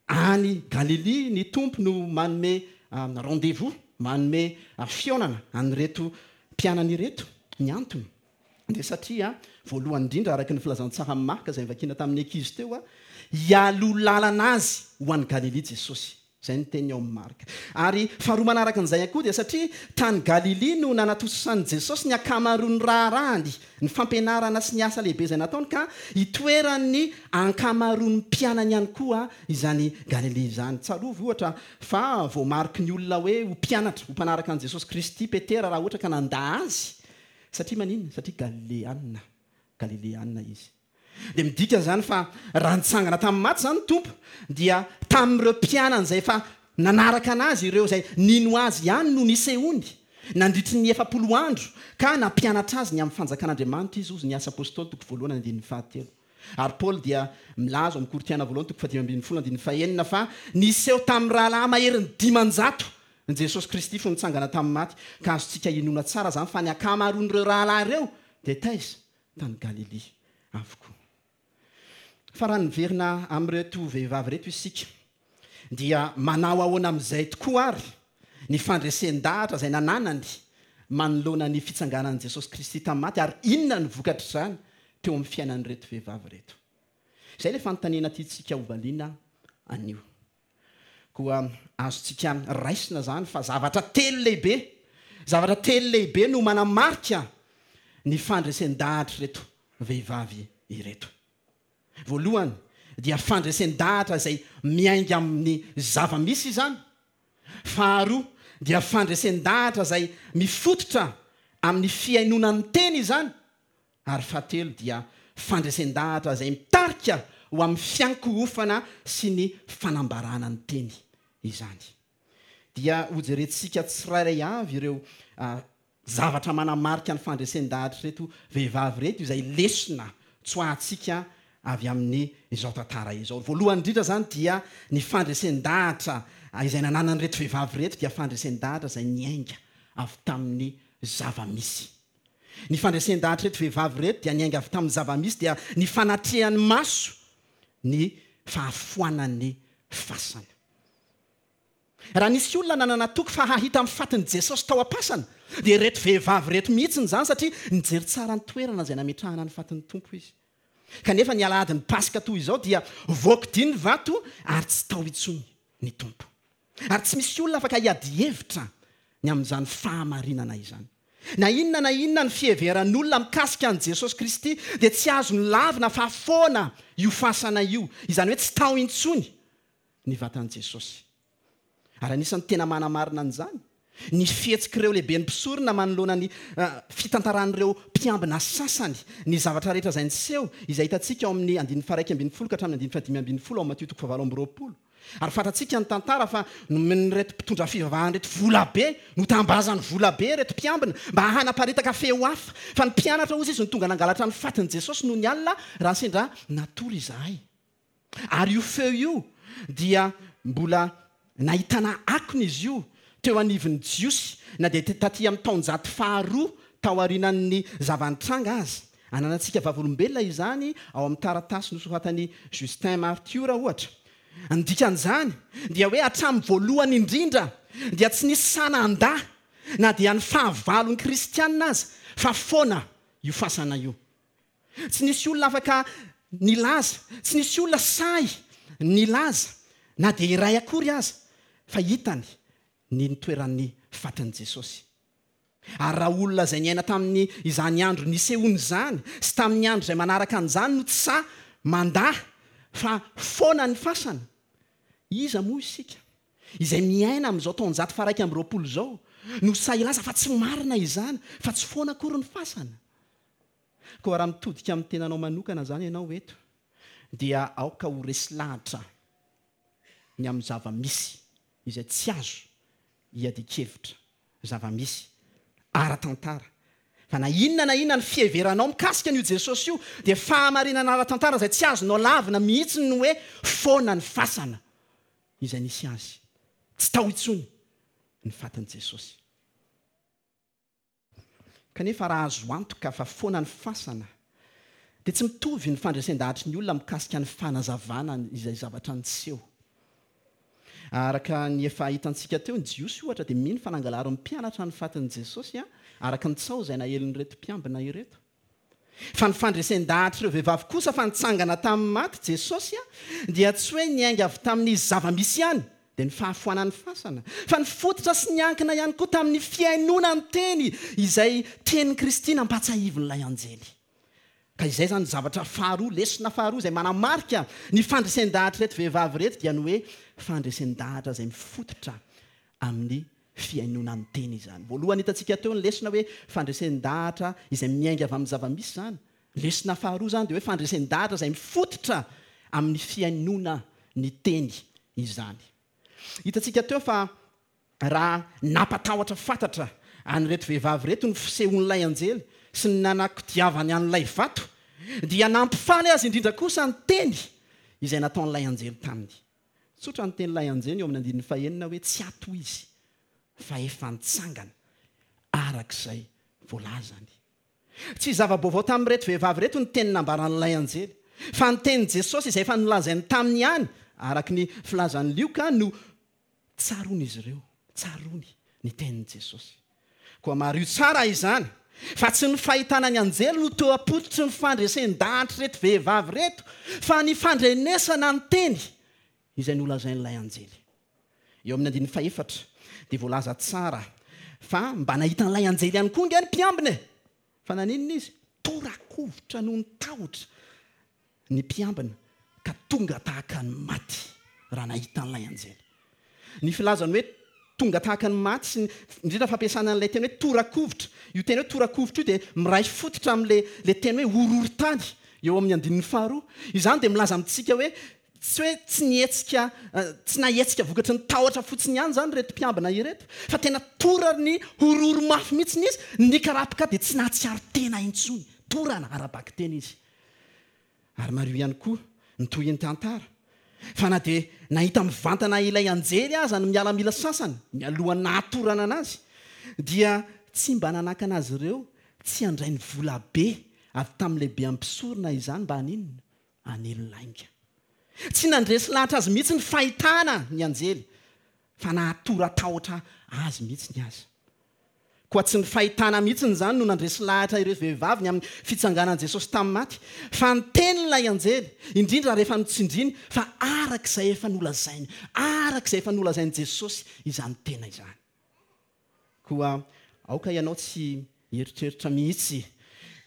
any Galilia ny Tompo no manome rendez-vous, manome fihaonana an'ireto mpianany ireto? Ny antony dia satria voalohany indrindra, araka ny filazantsara Marka izay novakiana tamin'ny ankizy teo, a hialoha lalana azy ho an'i Galilia Jesosy. Izay ny teniny ao amin'ny Marka. Ary faharoa manaraka an'izay ihany koa dia satria tany Galilia no nanatosan'i Jesosy ny ankamaroan'ny raharahany, ny fampianarana sy ny asa lehibe izay nataony, ka itoeran'ny ankamaroan'ny mpianany ihany koa izany Galilia izany. Tsarovy ohatra fa voamariky ny olona hoe ho mpianatra, ho mpanaraka an'i Jesosy Kristy Petera raha ohatra ka nandà azy. Satria maninona? Satria Galileanina, Galileanina izy. Dia midika izany fa raha nitsangana tamin'ny maty izany ny Tompo, dia tamin'ireo mpianany izay efa nanaraka anazy, ireo izay nino azy ihany no nisehoany nandritry ny efapolo andro, ka nampianatra azy ny amin'ny fanjakan'Andriamanitra izy, hozy ny Asa Apôstôly toko voalohany andininy fahatelo. Ary Paoly dia milaza ao amin'ny Korintiana voalohany toko fahadimy ambin'ny folo andininy fahenina fa niseho tamin'ny rahalahy maherin'ny dimanjato ny Jesosy Kristy fony nitsangana tamin'ny maty, ka azontsika inoana tsara izany fa ny ankamaroan'ireo rahalahy ireo dia taiza? Tany Galilia avokoa. Fa raha niverina amin'ireto vehivavy ireto isika, dia manao ahoana amin'izay tokoa ary ny fandresen-dahatra izay nananany manoloana ny fitsanganan'i Jesosy Kristy tamin'ny maty, ary inona ny vokatr'izany teo amin'ny fiainan'ireto vehivavy ireto? Izay ilay fanontaniana tiantsika hovaliana anio. Koa azontsika raisina izany fa zavatra telo lehibe, zavatra telo lehibe no manamarika ny fandresen-dahatr'ireto vehivavy ireto. Voalohany dia fandresen-dahatra izay miainga amin'ny zava-misy izany. Faharoa dia fandresen-dahatra izay mifototra amin'ny fihainoana ny teny izany. Ary fahatelo dia fandresen-dahatra izay mitarika ho amin'ny fiankohofana sy ny fanambarana ny teny izany. Dia hojerentsika tsirairay avy ireo zavatra manamarika ny fandresen-dahatra ireto vehivavy ireto, izay lesona tsoahantsika avy amin'ny izao tantara izao. Voalohany indrindra izany dia ny fandresen-dahatra izay nananan'ireto vehivavy ireto dia fandresen-dahatra izay niainga avy tamin'ny zava-misy. Ny fandresen-dahatra ireto vehivavy ireto dia niainga avy tamin'ny zava-misy, dia ny fanatrehan'ny maso ny fahafoanan'ny fasana. Raha nisy olona nanana toky fa hahita amin'ny fatin'i Jesosy tao am-pasana, dia ireto vehivavy ireto mihitsy izany, satria nijery tsara ny toerana izay nametrahana ny fatin'ny Tompo izy. Kanefa ny alahadin'ny Paska toy izao dia voakodia ny vato ary tsy tao intsony ny Tompo. Ary tsy misy olona afaka hiady hevitra ny amin'izany fahamarinana izany. Na inona na inona ny fiheveran'olona mikasika an'i Jesosy Kristy dia tsy azony lavina fa foana io fasana io, izany hoe tsy tao intsony ny vatan'i Jesosy. Ary anisan'ny tena manamarina an'izany ny fihetsik'ireo lehiben'ny mpisorona manoloana ny fitantaran'ireo mpiambina sasany ny zavatra rehetra izay niseho, izay hitantsika ao amin'ny andininy faha-iraika ambin'ny folo ka hatramin'ny andininy fahadimy ambin'ny folo ao Matio toko fahavalo amby roapolo. Ary fantatsika ny tantara fa nomen'ireto mpitondra fivavahana ireto volabe, notambazany volabe ireto mpiambina mba hanaparitaka feo hafa. Fa ny mpianatra hozy izy no tonga nangalatra ny fatin'i Jesosy nony alina raha sendra natory izahay. Ary io feo io dia mbola nahitana akony izy io teo anivon'ny Jiosy na dia taty amin'ny taonjato faharoa taorian'ny zava-nitranga aza. Ananantsika vavolombelona izany ao amin'ny taratasy nosoratan'i Justin Martyr ohatra. Ny dikan'izany dia hoe hatramin'ny voalohany indrindra dia tsy nisy sahy nandà na dia ny fahavalon'ny kristianina aza fa foana io fasana io. Tsy nisy olona afaka nilaza, tsy nisy olona sahy nilaza na dia iray akory aza fa hitany ny nitoeran'ny fatin'i Jesosy. Ary raha olona izay niaina tamin'ny izany andro nisehoany izany sy tamin'ny andro izay manaraka an'izany no tsy sahy mandà fa foana ny fasana, iza moa isika izay miaina amin'izao taonjato faha-iraika amby roapolo izao no sahy hilaza fa tsy marina izany, fa tsy foana akory ny fasana? Koa raha mitodika amin'ny tenanao manokana izany ianao eto, dia aoka ho resy lahatra ny amin'ny zava-misy izay tsy azo iadian-kevitra, zava-misy ara-tantara. Fa na inona na inona ny fiheveranao mikasika an'io Jesosy io, dia fahamarinana ara-tantara izay tsy azonao lavina mihitsy ny hoe foana ny fasana. izay nisy azy. Tsy tao intsony ny fatin'i Jesosy. Kanefa raha azo antoka fa foana ny fasana, dia tsy mitovy ny fandresen-dahatry ny olona mikasika ny fanazavana izay zavatra niseho. Araka ny efa hitantsika teo, ny Jiosy ohatra dia mino fa nangalarin'ny mpianatra ny fatin'i Jesosy, araka ny tsaho izay naelin'ireto mpiambina ireto. Fa ny fandresen-dahatr'ireo vehivavy kosa fa nitsangana tamin'ny maty Jesosy dia tsy hoe niainga avy tamin'ny zava-misy ihany, dia ny fahafoanan'ny fasana, fa nifototra sy niankina ihany koa tamin'ny fihainoana ny teny izay tenin'i Kristy nampatsiahivin'ilay anjely. Ka izay zany zavatra faharoa, lesona faharoa izay manamarika ny fandresen-dahatra ireto vehivavy ireto dia ny hoe fandresen-dahatra izay mifototra amin'ny fihainoana ny teny izany. Voalohany hitantsika teo ny lesona hoe fandresen-dahatra izay miainga avy amin'ny zava-misy izany. Lesona faharoa izany dia hoe fandresen-dahatra izay mifototra amin'ny fihainoana ny teny izany. Hitantsika teo fa raha nampatahotra fantatra an'ireto vehivavy ireto ny fisehoan'ilay anjely sy ny nanakodiavany an'ilay vato, dia nampifaly azy indrindra kosa ny teny izay nataon'ilay anjely taminy. Tsotra ny tenin'ilay anjely eo amin'ny andininy fahenina hoe tsy ato izy fa efa nitsangana arak'izay voalazany. Tsy zava-baovao tamin'ireto vehivavy ireto ny teny nambaran'ilay anjely, fa ny tenin'i Jesosy izay efa nolazainy taminy ihany, araka ny filazan'i Lioka, no tsaroan'izy ireo, tsaroany ny tenin'i Jesosy. Koa mariho tsara izany, fa tsy ny fahitana ny anjely no teo am-pototry ny fandresen-dahatra ireto vehivavy ireto, fa ny fandrenesana ny teny izay nolazain'ilay anjely. Eo amin'ny andininy fahefatra dia voalaza tsara fa mba nahita an'ilay anjely ihany koa ange ny mpiambina e. Fa naninona izy? Torakovitra noho ny tahotra ny mpiambina ka tonga tahaka ny maty raha nahita an'ilay anjely. Ny filazany hoe tonga tahaka ny maty sy ny indrindra fampiasana an'ilay teny hoe torakovitra. Io teny hoe torakovitra io dia miray fototra amin'ilay ilay teny hoe horohorontany eo amin'ny andininy faharoa. Izany dia milaza amintsika hoe tsy hoe tsy nihetsika, tsy nahetsika vokatry ny tahotra fotsiny ihany izany ireto mpiambina ireto, fa tena torany horohoro mafy mihitsy izy, nikarapoka dia tsy nahatsiaro tena intsony. Torana ara-bakiteny izy. Ary mariho ihany koa ny tohin'ny tantara fa na dia nahita mivantana ilay anjely aza ny miaramila sasany mialohan'ny nahatorana anazy, dia tsy mba nanakana azy ireo tsy handray ny vola be avy tamin'ny lehibe ampisorona izany mba haninona? Hanely lainga. Tsy nandresy lahatra azy mihitsy ny fahitana ny anjely, fa nahatora tahotra azy mihitsy ny azy. Koa tsy ny fahitana mihitsy izany no nandresy lahatra ireo vehivavy ny amin'ny fitsanganan'i Jesosy tamin'ny maty, fa ny tenin'ilay anjely, indrindra rehefa notsindriny fa arak'izay efa nolazainy, arak'izay efa nolazain'i Jesosy izany tena izany. Koa aoka ianao tsy hieritreritra mihitsy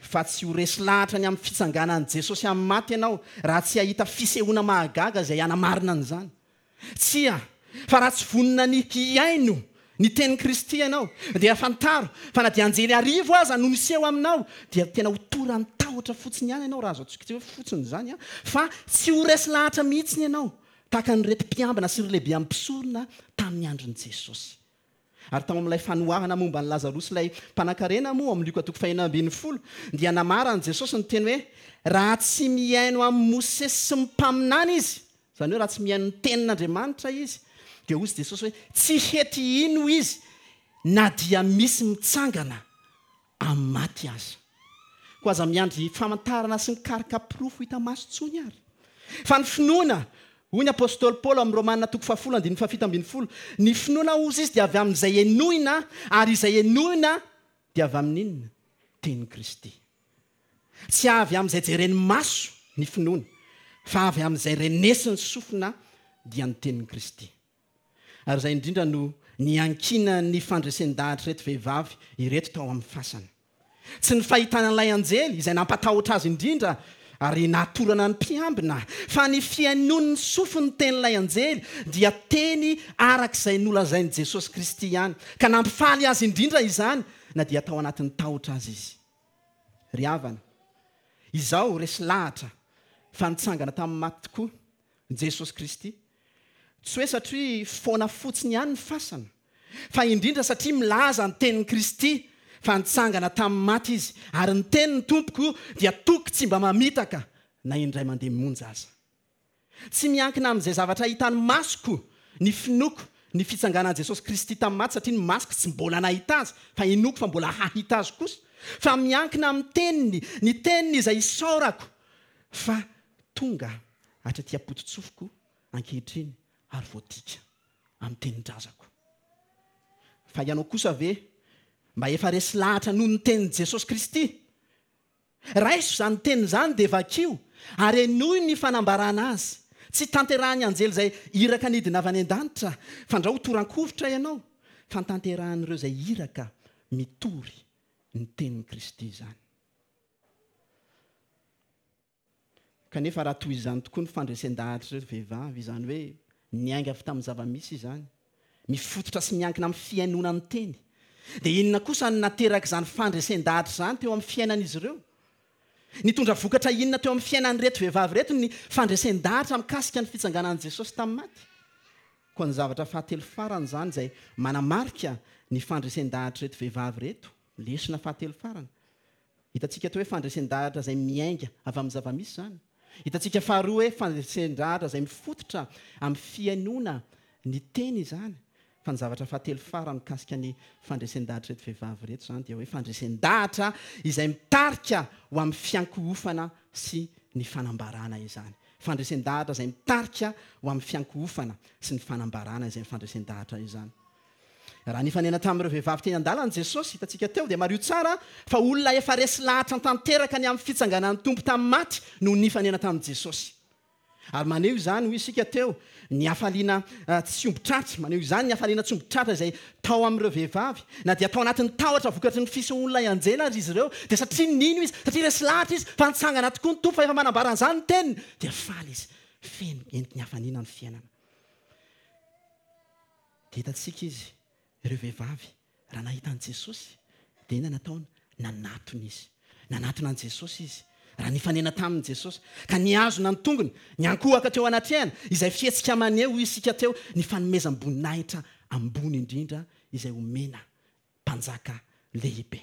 fa tsy ho resy lahatra ny amin'ny fitsanganan'i Jesosy amin'ny maty ianao raha tsy hahita fisehoana mahagaga izay hanamarina an'izany. Tsia, fa raha tsy vonona ny hihaino ny tenin'i Kristy ianao, dia fantaro fa na dia anjely arivo aza no miseho aminao, dia tena ho toran'ny tahotra fotsiny ihany ianao, raha azo antsoiko hoe fotsiny izany, fa tsy ho resy lahatra mihitsy ianao tahaka an'ireto mpiambina sy ireo lehibe ampisorona tamin'ny andron'i Jesosy. Ary tao amin'ilay fanoharana momba an'i Lazarosy ilay mpanankarena moa amin'ny Lioka toko fahenina ambin'ny folo, dia namaran'i Jesosy ny teny hoe raha tsy mihaino amin'i Mosesy sy ny mpaminany izy, izany hoe raha tsy mihaino ny tenin'Andriamanitra izy, dia hoy Jesosy hoe tsy hety hino izy na dia misy mitsangana amin'ny maty aza. Koa aza miandry famantarana sy mikaroka porofo hita maso intsony ary. Fa ny finoana, hoy ny apostoly Paoly amin'ny Romana toko fahafolo andininy fahafito ambin'ny folo, ny finoana hozy izy dia avy amin'izay henoina, ary izay henoina dia avy amin'inona? Tenin'i Kristy. Tsy avy amin'izay jeren'ny maso ny finoana, fa avy amin'izay renesin'ny sofina dia ny tenin'i Kristy. Ary izay indrindra no niankinan'ny fandresen-dahatra ireto vehivavy ireto tao amin'ny fasana. Tsy ny fahitana an'ilay anjely izay nampatahotra azy indrindra ary nahatorana ny mpiambina, fa ny fihainoan'ny sofiny ny tenin'ilay anjely dia teny arak'izay nolazain'i Jesosy Kristy ihany, ka nampifaly azy indrindra izany na dia tao anatin'ny tahotra azy izy. Ry havana, izao resy lahatra fa nitsangana tamin'ny maty tokoa Jesosy Kristy. Tsy hoe satria foana fotsiny ihany ny fasana, fa indrindra satria milaza ny tenin'i Kristy fa nitsangana tamin'ny maty izy, ary ny tenin'ny Tompoko dia toky tsy mba mamitaka na indray mandeha monja aza. Tsy miankina amin'izay zavatra hitan'ny masoko ny finoako ny fitsanganan'i Jesosy Kristy tamin'ny maty, satria ny masoko tsy mbola nahita azy, fa inoako fa mbola hahita azy kosa. Fa miankina amin'ny teniny, ny teniny izay isaorako, fa tonga hatraty am-pototsofiko ankehitriny ary voadika amin'ny tenin-drazako. Fa ianao kosa ve mba efa resy lahatra noho ny tenin'i Jesosy Kristy? Raiso izany teniny izany dia vakio ary henoy ny fanambarana azy. Tsy tanterahan'ny anjely izay iraka nidina avy any an-danitra, fandrao toran-kovitra ianao, fa tanterahan'ireo izay iraka mitory ny tenin'i Kristy izany. Kanefa raha toy izany tokoa ny fandresen-dahatr'ireo vehivavy, izany hoe niainga avy tamin'ny zava-misy izany, mifototra sy miankina amin'ny fihainoana ny teny, dia inona kosa no naterak'izany fandresen-dahatra izany teo amin'ny fiainan'izy ireo? Nitondra vokatra inona teo amin'ny fiainan'ireto vehivavy ireto ny fandresen-dahatra mikasika ny fitsanganan'i Jesosy tamin'ny maty? Koa ny zavatra fahatelo farany izany izay manamarika ny fandresen-dahatr'ireto vehivavy ireto, lesona fahatelo farany. Hitantsika teo hoe fandresen-dahatra izay miainga avy amin'ny zava-misy izany. Hitantsika faharoa hoe fandresen-dahatra izay mifototra amin'ny fihainoana ny teny izany. Fa ny zavatra fahatelo farany mikasika ny fandresen-dahatra ireto vehivavy ireto izany dia hoe fandresen-dahatra izay mitarika ho amin'ny fiankohofana sy ny fanambarana izany. Fandresen-dahatra izay mitarika ho amin'ny fiankohofana sy ny fanambarana izay fandresen-dahatra izany. Raha nifanena tamin'ireo vehivavy teny an-dalana Jesosy, hitantsika teo, dia mariho tsara fa olona efa resy lahatra tanteraka ny amin'ny fitsanganan'ny Tompo tamin'ny maty no nifanena tamin'i Jesosy. Ary maneho izany, hoy isika teo, ny hafaliana tsy omby tratra, maneho izany ny hafaliana tsy omby tratra izay tao amin'ireo vehivavy, na dia tao anatin'ny tahotra vokatry ny fisehoan'ilay anjely ary izy ireo, dia satria nino izy, satria resy lahatra izy fa nitsangana tokoa ny Tompo, fa efa manambara an'izany ny teniny, dia faly izy, feno entiky ny hafaliana ny fiainana. Dia hitantsika izy, ireo vehivavy, raha nahita an'i Jesosy, dia inona nataony? Nanatona izy. Nanatona an'i Jesosy izy. Raha nifanena tamin'i Jesosy, ka nihazona ny tongony, niankohoka teo anatrehany, izay fihetsika maneho isika teo ny fanomezam-boninahitra ambony indrindra izay omena mpanjaka lehibe.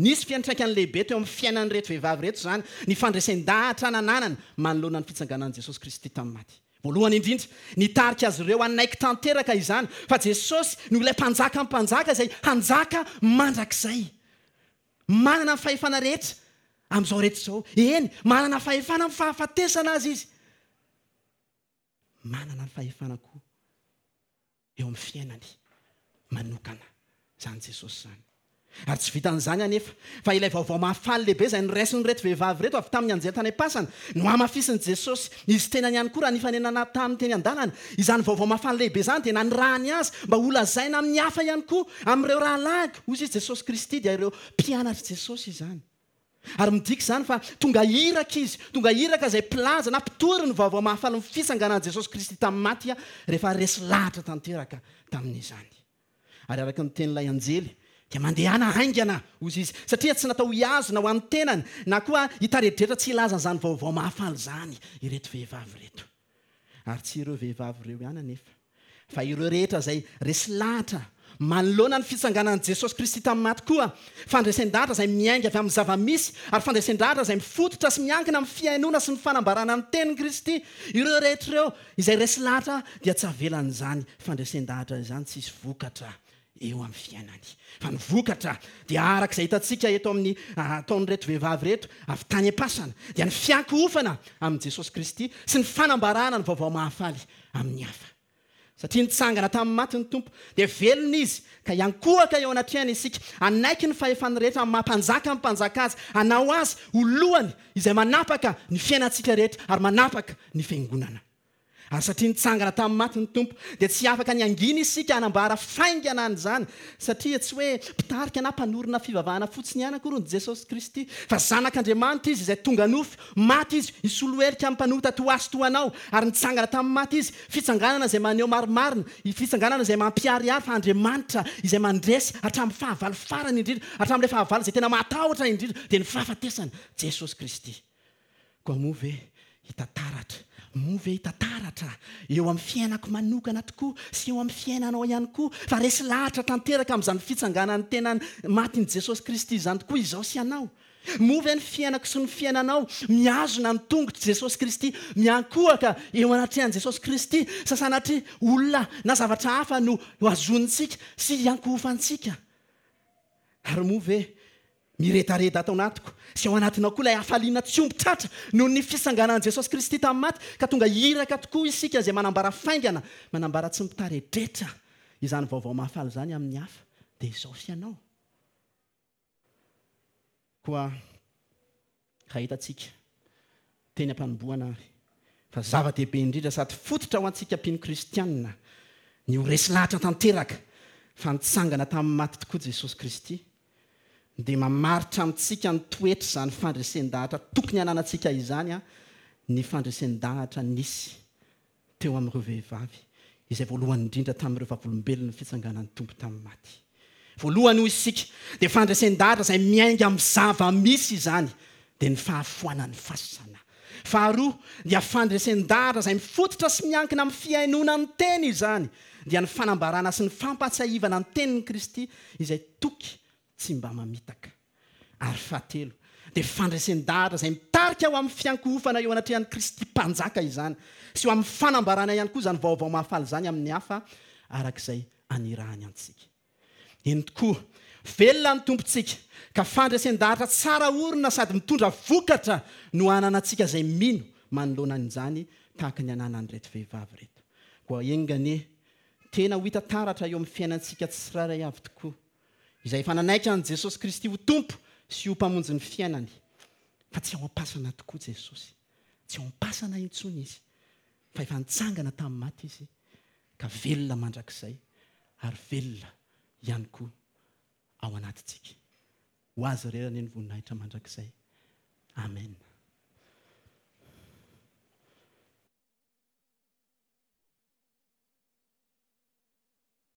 Nisy fiantraikany lehibe teo amin'ny fiainan'ireto vehivavy ireto izany, ny fandresen-dahatra nananany manoloana ny fitsanganan'i Jesosy Kristy tamin'ny maty. Voalohany indrindra, nitarika azy ireo hanaiky tanteraka izany, fa Jesosy no ilay mpanjaka mpanjaka izay hanjaka mandrakizay. Manana ny fahefana rehetra amin'izao rehetra izao. Eny, manana fahefana amin'ny fahafatesana azy izy. Manana ny fahefana koa eo amin'ny fiainany manokana izany Jesosy izany. Ary tsy vitan'izany anefa, fa ilay vaovao mahafaly lehibe izay noraisin'ireto vehivavy ireto avy tamin'ny anjely tany am-pasana no hamafisin'i Jesosy izy tenany ihany koa raha nifanenana tamin'ny teny an-dalana. Izany vaovao mahafaly lehibe izany dia nanirahany azy mba holazaina amin'ny hafa ihany koa, amin'ireo rahalahiko, hoy izy Jesosy Kristy, dia ireo mpianatr'i Jesosy izany. Ary midika izany fa tonga iraka izy, tonga iraka izay mpilaza na mpitory ny vaovao mahafaly ny fitsanganan'i Jesosy Kristy tamin'ny maty rehefa resy lahatra tanteraka tamin'izany. Ary araka ny tenin'ilay anjely, dia mandehana haingana, hoy izy, satria tsy natao hihazona ho an'ny tenany, na koa hitaredretra tsy hilaza an'izany vaovao mahafaly izany ireto vehivavy ireto. Ary tsy ireo vehivavy ireo ihany anefa, fa ireo rehetra izay resy lahatra manoloana ny fitsanganan'i Jesosy Kristy tamin'ny maty koa, fandresen-dahatra izay miainga avy amin'ny zava-misy, ary fandresen-dahatra izay mifototra sy miankina amin'ny fihainoana sy ny fanambarana ny tenin'i Kristy. Ireo rehetra ireo izay resy lahatra dia tsy avelan'izany fandresen-dahatra izany tsy hisy vokatra eo amin'ny fiainany. Fa ny vokatra dia araka izay hitantsika eto amin'ny ataon'ireto vehivavy ireto avy tany am-pasana, dia ny fiankohofana amin'i Jesosy Kristy sy ny fanambarana ny vaovao mahafaly amin'ny hafa. Satria nitsangana tamin'ny maty ny Tompo, dia velona izy, ka hiankohoka eo anatrehany isika, hanaiky ny fahefany rehetra amin'ny maha-mpanjaka ny mpanjaka azy, hanao azy ho lohany izay manapaka ny fiainantsika rehetra ary manapaka ny fiangonana. Ary satria nitsangana tamin'ny maty ny Tompo, dia tsy afaka ny hangina isika hanambara faingana an'izany, satria tsy hoe mpitarika na mpanorina fivavahana fotsiny ihany akory ny Jesosy Kristy, fa zanak'Andriamanitra izy izay tonga nofo, maty izy, hisolo helika amin'ny mpanota toa azy toa anao, ary nitsangana tamin'ny maty izy, fitsanganana izay maneho marimarina, fitsanganana izay mampiharihary fa Andriamanitra izay mandresy hatramin'ny fahavalo farany indrindra, hatramin'ilay fahavalo izay tena mahatahotra indrindra, dia ny fahafatesana, Jesosy Kristy. Koa moa ve hita taratra, moa ve hita taratra eo amin'ny fiainako manokana tokoa sy eo amin'ny fiainanao ihany koa, fa resy lahatra tanteraka amin'izany fitsanganan'ny tena matin'i Jesosy Kristy izany tokoa izao sy ianao? Moa ve ny fiainako sy ny fiainanao mihazona ny tongotr'i Jesosy Kristy, miankohoka eo anatrehan'i Jesosy Kristy, sa sanatria olona na zavatra hafa no hazonintsika sy hiankohofantsika? Ary moa ve miredareda ato anatiko sy ao anatinao koa ilay hafaliana tsy omby tratra noho ny fisanganan'i Jesosy Kristy tamin'ny maty, ka tonga iraka tokoa isika izay manambara faingana, manambara tsy mitaredretra izany vaovao mahafaly izany amin'ny hafa, dia izao fianao. Koa raha hitantsika teny am-panombohana ary fa zava-dehibe indrindra sady fototra ho antsika mpino kristianina ny ho resy lahatra tanteraka fa nitsangana tamin'ny maty tokoa Jesosy Kristy, dia mamaritra amintsika ny toetra izany fandresen-dahatra tokony hananantsika izany a, ny fandresen-dahatra nisy teo amin'ireo vehivavy izay voalohany indrindra tamin'ireo vavolombelon'ny fitsanganan'ny Tompo tamin'ny maty. Voalohany hoy isika dia fandresen-dahatra izay miainga amin'ny zava-misy izany, dia ny fahafoanan'ny fasana. Faharoa dia fandresen-dahatra izay mifototra sy miankina amin'ny fihainoana ny teny izany, dia ny fanambarana sy ny fampahatsiahivana ny tenin'i Kristy izay toky tsy mba mamitaka. Ary fahatelo dia fandresen-dahatra izay mitarika ho amin'ny fiankohofana eo anatrehan'i Kristy mpanjaka izany, sy ho amin'ny fanambarana ihany koa izany vaovao mahafaly izany amin'ny hafa arak'izay anirahany antsika. Eny tokoa, velona ny Tompontsika, ka fandresen-dahatra tsara orina sady mitondra vokatra no hananantsika izay mino manoloana an'izany tahaka ny ananan'ireto vehivavy ireto. Koa enga anie tena ho hita taratra eo amin'ny fiainantsika tsirairay avy tokoa, izay efa nanaiky an'i Jesosy Kristy ho Tompo sy ho mpamonjy ny fiainany, fa tsy ao am-pasana tokoa Jesosy, tsy ao am-pasana intsony izy, fa efa nitsangana tamin'ny maty izy, ka velona mandrakizay ary velona ihany koa ao anatintsika. Ho azy irery anie ny voninahitra mandrakizay. Amen.